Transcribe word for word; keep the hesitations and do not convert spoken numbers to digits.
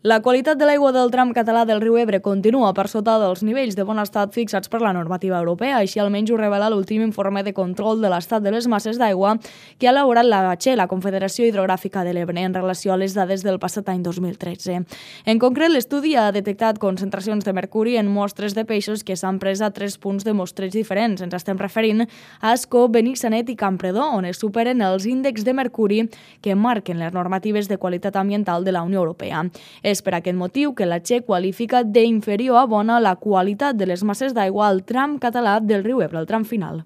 La qualitat de l'aigua del tram català del riu Ebre continua per sota dels nivells de bon estat fixats per la normativa europea, així almenys ho revela l'últim informe de control de l'estat de les masses d'aigua que ha elaborat la B C E, la Confederació Hidrogràfica de l'Ebre, en relació a les dades del passat any dos mil tretze. En concret, l'estudi ha detectat concentracions de mercuri en mostres de peixos que s'han pres a tres punts de mostreig diferents. Ens estem referint a Ascó, Benissanet i Campredó, on es superen els índexs de mercuri que marquen les normatives de qualitat ambiental de la Unió Europea. És per aquest motiu que la C E qualifica d'inferior a bona la qualitat de les masses d'aigua al tram català del riu Ebre, al tram final.